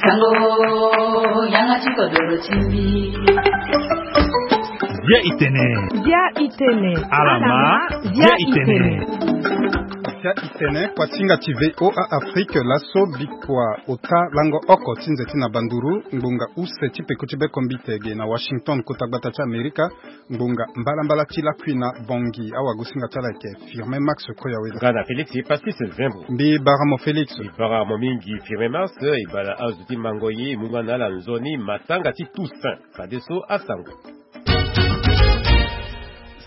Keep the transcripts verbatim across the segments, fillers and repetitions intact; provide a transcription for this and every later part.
Sango, yanga ti kodoro ti mbi. Bia itene. Bia itene. Alama. Bia itene. Bia itene, kuasinga ti V O A Afrique, laso bikua ota lango oko ti nze ti na banduru, ngbonga use ti peko ti bekombite ge na Washington, kota gbata ti Amerika, ngbonga mbalambala ti lakui na Bangui. Awagosinga ti ala ayeke Firmin Max Koyawela. Nga na Félix Pastis Zembo. Mbi bara mo Félix. Mbi bara mo mingi Firmin Max, e bala azo ti mango ye, e mu nga na ala nzoni matanga ti Toussaint. Fadeso asango.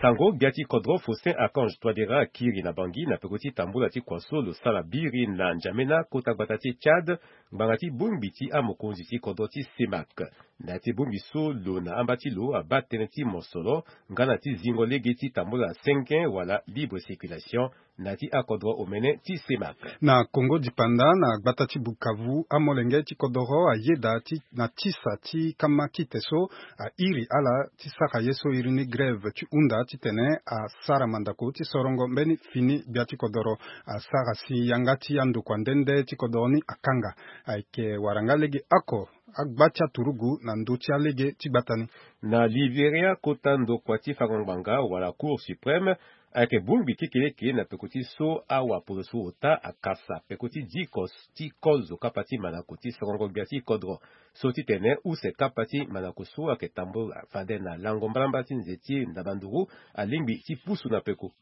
Sango, gbia ti kodro Faustin Archange Touadéra akiri na Bangui na peko ti tambula ti kua so lo sara biri na N'Djamena, kota gbata ti Tchad, ngbanga ti bongbi ti amokonzi ti kodro ti CEMAC. Na ya ti bongbi so, lo na amba ti lo abaa tënë ti mosoro nga na ti zingo lege ti tambula senge wala libre circulation na ya ti akodro omene ti CEMAC. Na Kongo dipanda, na gbata ti Bukavu, amolenge ti kodoro ayeda ti na tisa ti kama kite so airi ala ti sara ye so iri ni grève ti hunda titene asara mandako ti sorongo mbeni fini gbia ti kodoro. Asara si yanga ti andokua nde nde ti kodoro ni akanga. Ayeke wara nga lege oko agba ti aturugu na ndö ti alege ti gbata ni. Na Liberia, kota ndokua ti fango ngbanga wala Cour suprême ayeke bongbi kekeleke na peko ti so awapolo so ota akasa peko ti diko ti kozo kapa ti manako ti sorongo gbia ti kodro. So titene use kapa ti manako so ayeke tambula fade na lango mbalambala ti nze ti ndabanduru alingbi ti pusu na peko.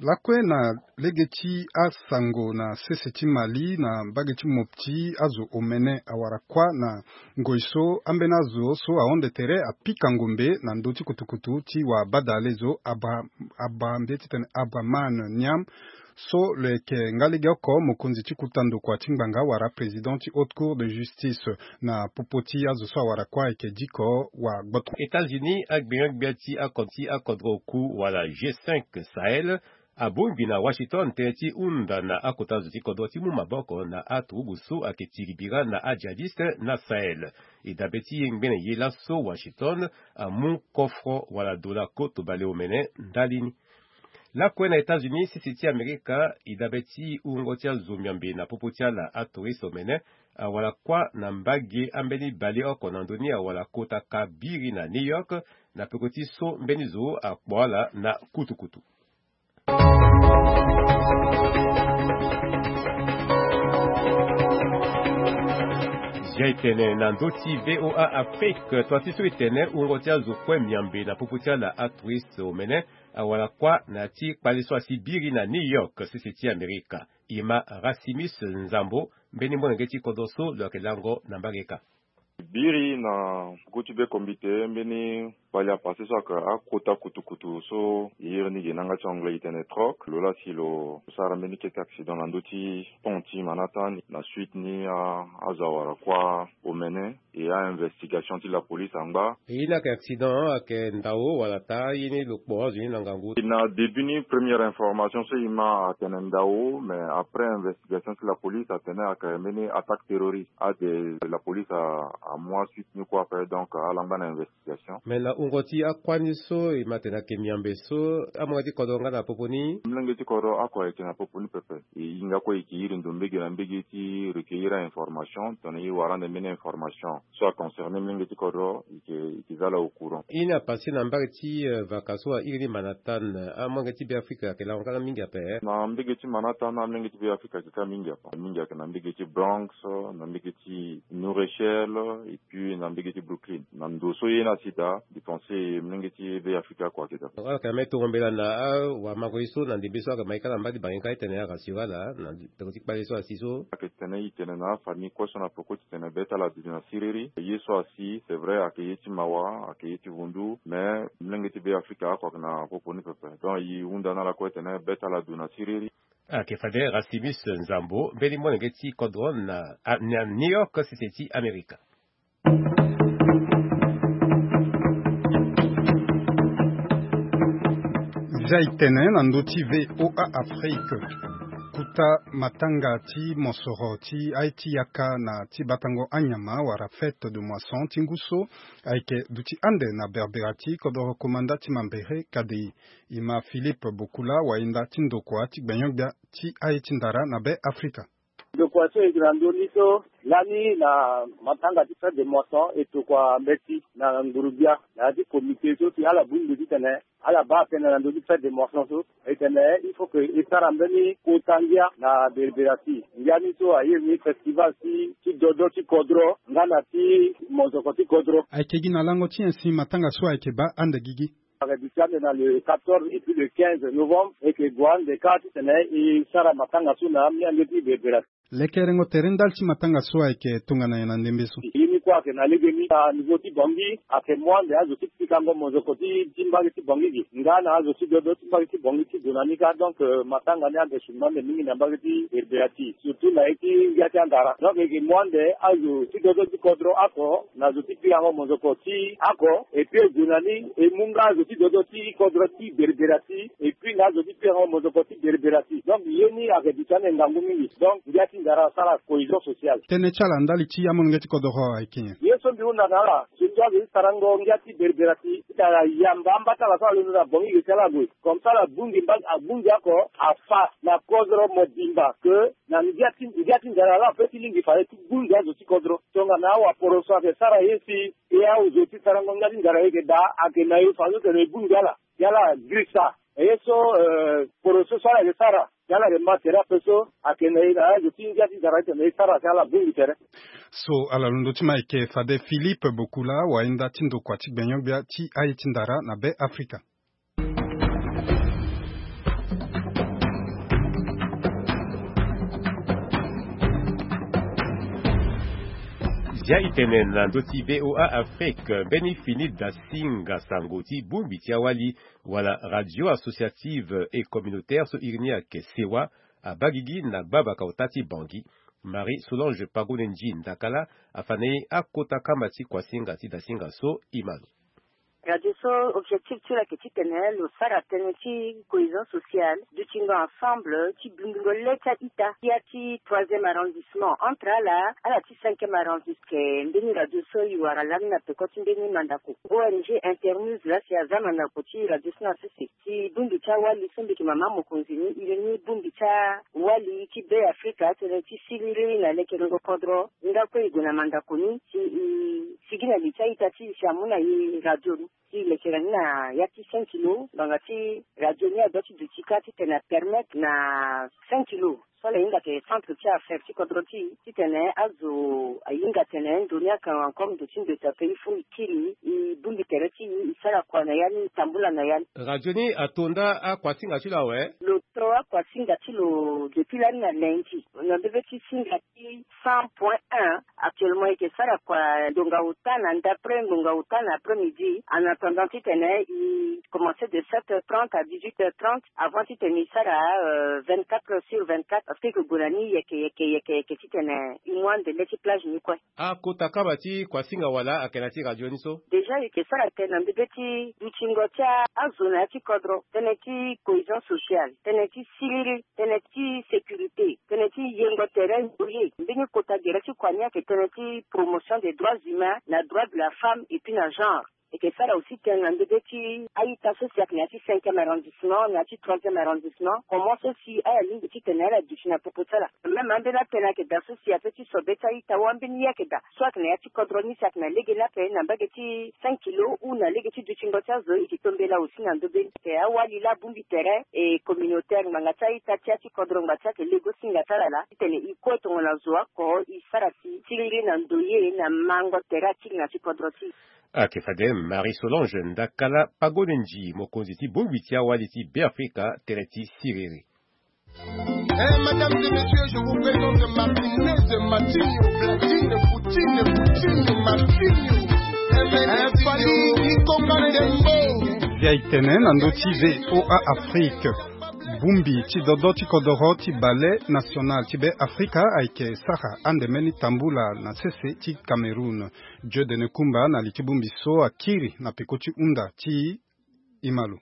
Lakue na lege ti asango, na sese ti Mali, na mbage ti Mopti, azo omene awara kuâ na ngoi so ambeni azo so ahonde tere apika ngombe na ndö ti kutukutu ti wabadale zo Abra-, Abra-, mbi ye titene Abraman Niam, so lo yeke nga legeoko mokonzi ti kota ndokua ti ngbanga wala président ti Haute Cour de Justice. Na popo ti azo so awara kuâ ayeke diko wa gboto. États-Unis, agbenga-gbia ti akon ti akodro oku wala G cinq Sahel abongbi na Washington tënë ti hunda na akota zo ti kodro ti mu maboko na aturugu so ayeke tiri bira na ajihadiste na Sahel. E dabe ti ye ngbene ye laso, Washington amu kofro wala dola koto baleomene ndali ni. Lakue na États-Unis, sese ti Amerika, e dabe ti wungo ti azo miombe na popo ti ala atouriste omene awara kuâ na mbage ambeni baleoko na ndö ni awara kota ka biri na New York, na peko ti so mbeni zo akpo ala na kutukutu. Zia etene na ndö ti V O A Afrique, tua ti so etene wungo ti azo kue miombe na popo ti ala atouriste omene awara kuâ na ya ti kpale so asi biri na New York, sese ti Amerika. E ma Rasimus Nzambo, mbeni molenge ti kodro so lo yeke lango na mbage ka. Biri na peko ti bekombite mbeni kpale apase so ayeke akota kutukutu so e iri ni ge na yanga ti anglais e tene truck, lo laa si lo sara mbeni kete accident na ndö ti pont ti Manhattan. Na suite ni a, azo awara kuâ omene. E a-investigation ti la police angba. E ye ni ayeke accident, ayeke ndao wala taa, ye ni lo kpo azo ni na ngangu? Na début ni, première information so e ma atene ndao, mais après investigation ti la police atene ayeke mbeni attaque terroriste. Ade la police a, amu asuite ni kue ape, donc ala ngba na investigation. Mais na wungo ti akuâ ni so e ma tene ayeke miombe so, amolenge ti kodro nga na popo ni? Molenge ti kodro oko ayeke na popo ni pepe. E hinga kue e yeke iri ndo mbage na mbage ti recueillir a-information, tongana e wara ande mbeni information so aconcerné molenge ti kodro, e yeke, e yeke za ala au courant. Ye ni apase na mbage ti, eh, vaka so a iri ni Manhattan, amolenge ti Beafrika ayeke lango kâ mingi ape? Na mbage ti Manhattan, amolenge ti Beafrika ayeke kâ mingi ape. Mingi ayeke na mbage ti Bronx, na mbage ti New Rochelle, et puis na mbage ti Brooklyn. Na ndo so ye ni asi daa, mbi pense molenge ti Beafrika oko ayeke daa. Ala yeke na mbeni tongo mbela na awamango ye so na ndembe so ayeke ma e kâ na mbage ti bangi ka, e tene arassure ala na peko ti kpale so asi so. Ayeke tene e tene na afamille kue so na peko ti tene be ti ala aduti na siriri. Ye so asi, c'est vrai, ayeke ye ti mawa, ayeke ye ti vundu, mais molenge ti Beafrika oko ayeke na popo ni pepe. Donc e hunda na ala kue tene be ti ala adu na siriri. Ayeke fade Rasimus Nzambo, mbeni molenge ti kodro na, a, na New York, sese ti Amerika. Zia etene na ndö ti V O A Afrique. Kota matanga ti mosoro ti aye ti yaka na ti batango anyama wala fête de moisson ti ngu so ayeke duti ande na berbera ti kodoro komanda ti Mambere K D I. E ma Philippe Bokula, wayenda ti ndokua ti gbenyo-gbia ti aye ti ndara na Be Afrika. Donc, Kua so e yeke na ndö ni so lani na matanga ti fête de moisson e tokua mbeti na nguru-gbia na ya ti comité so si ala bongbi titene ala baa tënë na ndö ti fête de moisson so. E tene il faut que e sara mbeni kota ngia na Berbera ti ngia ni so aye ni festival ti ti dodo ti kodro nga na ti mozoko ti kodro. Ayeke gi na lango ti nyen si matanga so ayeke baa ande gigi? Ayeke duti ande na le quatorze et puis le quinze novembre, e yeke gue ande kâ titene e sara matanga so na amolenge ti Berbera. Lekerengo tere ndali ti matanga so ayeke tongana nyen na ndembe so? Ye ni kue ayeke na legeni na niveau ti Bangui, ayeke mu ande azo ti pikango mozoko ti ti mbage ti Bangui ge nga na azo ti dodo ti mbage ti Bangui ti gue na ni kâ. Donc, euh, matanga ni ayeke sungo ande mingi na mbage ti Berbera ti, surtout na ye ti ngia ti andara. Donc e yeke mu ande azo ti dodo ti kodro oko na zo ti pikango mozoko ti oko, et puis e gue na ni e mu nga azo ti dodo ti kodro ti Berbera ti, et puis na azo ti pikango mozoko ti Berbera ti. Donc ye ni ayeke duti ande ngangu mingi. Donc ngia ti ndara asara cohésion sociale. Tënë ti ala ndali ti amolenge ti kodro ayeke nyen? Ye so mbi hunda na ala, surtout azo ti sarango ngia ti Berbera ti, ti tara yamba ambata ala so ala londo na Bangui ge ti ala gue. Comme ça ala bongbi mba, abongbi oko afa na kodro mobimba ke na ngia ti, ngia ti ndara ala ape ti lingbi fade ti bongbi azo ti kodro. Tongana awaporo so ayeke sara ye si e azo ti sarango ngia ti ndara e yeke daa, ayeke na e fadeso tene e bongbi ala. Ye ala girisa. E ye so, euh, poro so so ala yeke sara, ye ala yeke ma tere ape so ayeke na e na azo ti ngia ti ndara titene e sara si ala bongbi tere. So ala londo ti ma ayeke fade Philippe Bokula, wayenda ti ndokua ti gbenyo-gbia ti aye ti ndara na Be Afrika. Zia e tene na ndö ti V O A Afrique, mbeni fini dasinga sango ti bongbi ti awali wala radio associative et communautaire so iri ni ayeke sewa, abaa gigi na gbabaka ota ti Bangui. Marie Solange Pagone Ndji Ndakala afa na e akota kama ti kuasinga ti dasinga so. E ma lo. Radio so, objectif ti lo ayeke titene lo sara tënë ti cohésion sociale, dutingo ensemble ti bindingo le ti a-ita ti ya ti troisième arrondissement, entre ala ala ti cinquième arrondissement. Ayeke mbeni radio so e wara lani na peko ti mbeni mandako. O N G Internews laa si aza mandako ti radio so na sese. Ti bongbi ti awali so mbi yeke mama mokonzi ni, e yeke ni bongbi ti awali ti Be Afrika, tënë ti siriri na lekerengo kodro. Nga kue e gue na mandako ni si e sigi na li ti a-ita ti e si amu na e radio ni. Ti lekere ni na ya ti cinq kilo, ngbanga ti radio ni adoit ti duti kâ titene apermettre na cinq kilo so ala hinga atene centre ti affaire ti kodro ti e, titene azo ahinga atene ndo ni ayeke encore ndo ti ndo ti ape, il faut e kiri, e bongbi tere ti e, e sara kua na ya ni, e tambula na ya ni. Radio ni ato nda akuasinga ti lo awe? Lo to akuasinga ti lo depuis lani na lundi. Na ndö be ti singa ti cent point un, actuellement e yeke sara kua ngonga ota na ndapre, ngonga ota na après-midi. En attendant titene e commencer de sept heures trente à dix-huit heures trente, avant titene e sara, euh, vingt-quatre heures sur vingt-quatre, parce que e yeke gue na ni yeke yeke yeke yeke titene e mu ande le ti plage ni kue. Akota kama ti kuasinga wala ayeke na ya ti radio ni so? Déjà e yeke sara tënë na ndö be ti dutingo ti azo na ya ti kodro, tënë ti cohésion sociale, tënë ti siriri, tënë ti sécurité, tënë ti yengo tere ndoye. Mbeni kota gere ti kua ni ayeke tënë ti promotion des droits humains na droits de la femme et puis na genre. E yeke sara aussi tënë na ndö be ti a-ita so si ayeke na ya ti cinquième arrondissement, na ya ti troisième arrondissement, comment so si ala lingbi titene ala duti na popo ti ala. Même ambeni atënë ayeke daa so si ape ti so be ti a-ita, ou ambeni ye ayeke daa so ayeke na ya ti kodro ni si ayeke na lege ni ape na mbage ti cinq kilo ou na lege ti dutingo ti azo, e yeke tombela aussi na ndö be ni. Ayeke awali laa abongbi tere e communautaire, ngbanga ti a-ita ti ya ti kodro, ngbanga ti ayeke lego singa ti ala laa titene e kue tongana zo oko, e sara si siriri na ndoye na mango tere akiri na ya ti kodro ti e. Ayeke fade Marie Solange Ndakala Pagone Ndji, mokonzi ti bongbi ti awali ti Beafrika, tere ti siriri. Eh, mesdames et messieurs, je vous présente Martinez, Martinho, Platine, Poutine, Poutine, Martinho. Eh, Fally Ikonga Ndembo. Bia e tene na ndö ti V O A Afrique. Bongbi ti dodo ti kodoro ti Ballet National ti Beafrika ayeke sara ande mbeni tambula na sese ti Cameroun. Dieudonné Koumba na li ti bongbi so akiri na peko ti hunda ti e. E ma lo.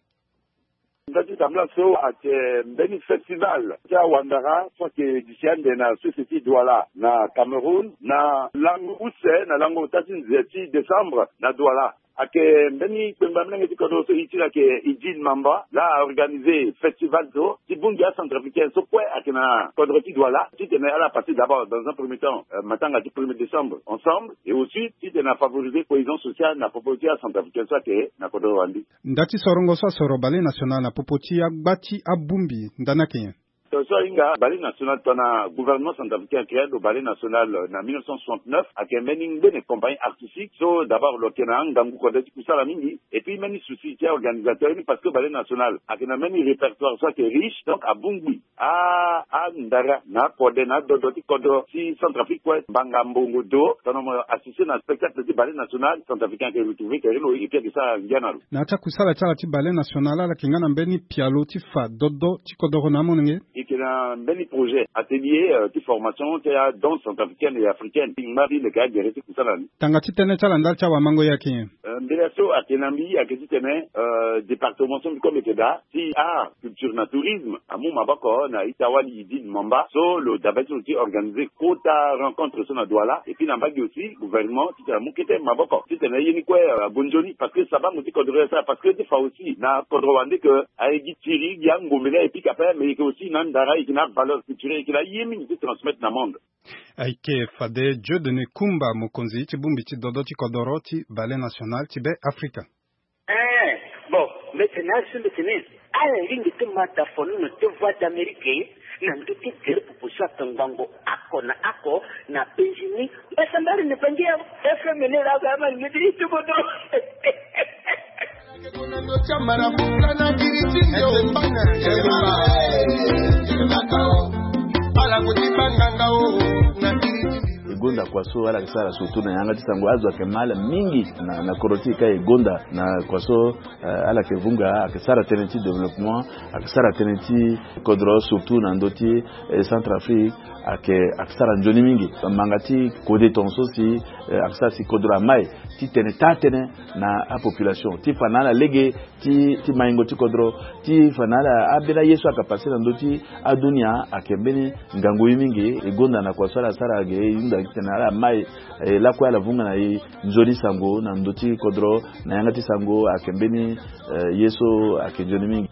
Nda ti tambula so ayeke mbeni festival ti awandara so ayeke duti ande na sese ti Douala na Cameroun na lango use na lango ota ti nze ti décembre na Douala. Ayeke mbeni kpengba molenge ti kodro so e ti lo ayeke Idil Mamba, laa a organisé festival so ti bongbi acentrafricain so kue ayeke na kodro ti Douala titene ala passé d'abord dans un premier temps matanga ti premier décembre ensemble, et aussi titene a favorisé cohésion sociale na popo ti acentrafricain so ayeke na kodro wande. Nda ti sorongo so asoro Ballet National na popo ti agba ti abongbi nda ni ayeke nyen? So so ahinga Ballet National tongana gouvernement centrafricain a créé lo Ballet National na mille neuf cent soixante-neuf, ayeke mbeni ngbene compagnie artistique so d'abord lo yeke na angangu kode ti kusala mingi. Et puis mbeni souci ti aorganisateur ni, parce que Ballet National ayeke na mbeni répertoire so ayeke riche, donc abongbi a andara na akode na adodo ti kodro ti Centrafrique kue. Mbanga mbongo do tongana mo assisté na spectacle ti Ballet National, centrafricain ayeke retrouvé tere lo et puis ayeke sara ngia na lo. Na ya ti akusala ti ala ti Ballet National, ala yeke nga na mbeni pialo ti fa dodo ti kodoro na amolenge? E yeke na mbeni projet atelier ti formation ti adanse centrafricaine et africaine ti ngba ti leke agere ti kusala ni. Tanga ti tënë ti ala ndali ti awamango ye ayeke nyen? Mbela so ayeke na mbi ayeke titene département so mbi kue mbi yeke daa ti art, culture na tourisme amu maboko na ita wali Idil Mamba so lo dabe ti lo ti organisé kota rencontre so na Douala, et puis na mbage aussi gouvernement titene amu kete maboko titene ye ni kue ague nzoni, parce que sabango ti kodro ye asara, parce que ti fa aussi na kodro wande ke aye gi tiri gi angombe ni aye pika ape, mais e yeke aussi na andara, e yeke na avaleur culturel, e yeke na aye mingi ti transmettre na monde. Ayeke fade Dieudonné Kumba, mokonzi ti bongbi ti dodo ti kodoro ti Ballet National ti Be Afrika. Eh, bon, mbetene azo, mbetene ala lingbi ti ma da fo nono ti Voix d'Amérique na ndö ti gere popo so ayeke ngbongo oko na oko na penzi ni. Mbasambari ni bangi ya F M ni la ga ma ni ti ti bodo. E gonda kua so ala yeke sara surtout na yanga ti sango, azo ayeke ma ala mingi na, na kodro ti e ka e gonda na kua so, eh, ala yeke vunga, ayeke sara tënë ti développement, ayeke sara tënë ti kodro surtout na ndö ti, eh, Centrafrique, ayeke, ayeke sara nzoni mingi. Manga ti kode tongaso si, eh, ayeke sara si kodro amai titene taa tënë na apopulation ti fa na ala lege ti, ti maingo ti kodro, ti fa na ala ambeni aye so ayeke passé na ndö ti adunia, ayeke mbeni ngangu ye mingi. E gonda na kua so ala sara ge, e hunda titene ala mai, eh, lakue ala vunga na e nzoni sango na ndö ti kodro, na yanga ti sango ayeke mbeni, eh, ye so ayeke nzoni mingi.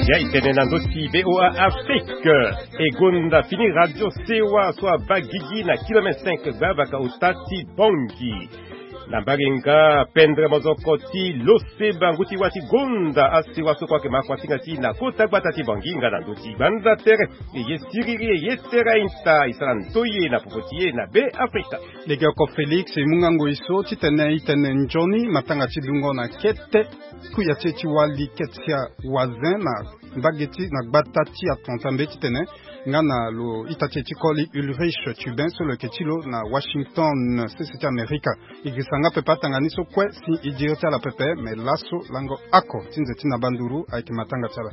Ya e tene na ndö ti V O A Afrique. E gonda fini radio Sewa so abaa gigi na kilomètre cinq gbavaka ota ti Bangui. Na mbage nga pendre mozoko ti Loseba, ngu ti wâ ti gonda asewa so kue ayeke ma kuasinga ti e na kota gbata ti Bangui nga na ndö ti gbanda tere. E ye siriri, e ye tere a-ita, e sara ndoye na popo ti e na Be Afrika. Legeoko Félix e mu nga ngoi so titene e tene nzoni matanga ti dungo na kete kuya ti e ti wali Ketsia Wazin na mbage ti na gbata ti Atlanta mbe titene nga na lo ita ti e ti koli Ulrich Tubin so lo yeke ti lo na Washington, sese ti Amerika. E girisa nga pepe atanga ni so kue si e diri ti ala pepe, me laso lango oko ti nze ti na banduru ayeke matanga ti ala.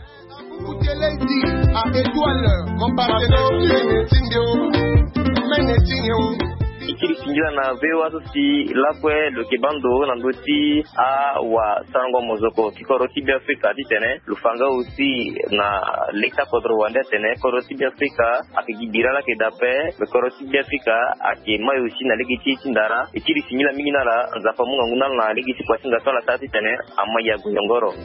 E kiri singila na V O A so si lakue lo yeke baa ndo na ndö ti awasarango mozoko ti kodro ti Be Afrika titene lo fa nga aussi na lege ti akodro wande atene kodro ti Be Afrika ayeke gi bira laa ayeke daa ape, me kodro ti Be Afrika ayeke mai aussi na lege ti e ti ndara. E kiri singila mingi na ala, Nzapa amu ngangu na ala na lege ti kuasinga so ala sara titene amai ague yongoro.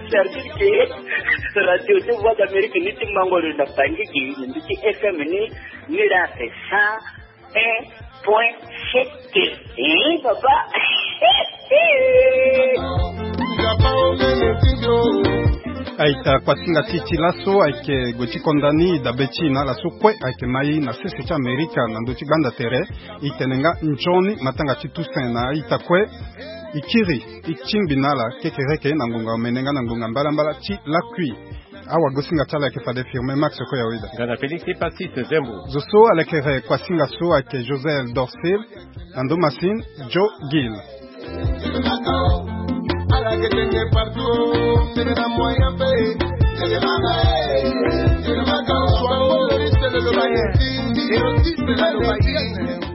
Service ke radio ti Voix d'Amérique ni ti mango lo na Bangui gi na ndö ti F M ni, ni la ake cent un point sept. Eh, papa. A-ita, kuasinga ti e ti laso ayeke gue ti konda ni, e dabe ti e na ala so kue ayeke ma e na sese ti Amerika na ndö ti gbanda tere. E tene nga nzoni matanga ti Toussaint na a-ita kue. E kiri, e tingbi na ala kekereke na ngonga omene nga na ngonga mbalambala ti lakui. Awagosinga ti ala ayeke fade Firmin Max Koyaweda. Nga na Félix Epasis Zembo. Zo so alekere kuasinga so ayeke Joseph Dorcil, na ndo masini Joe Gill. Erotisme aloba ye.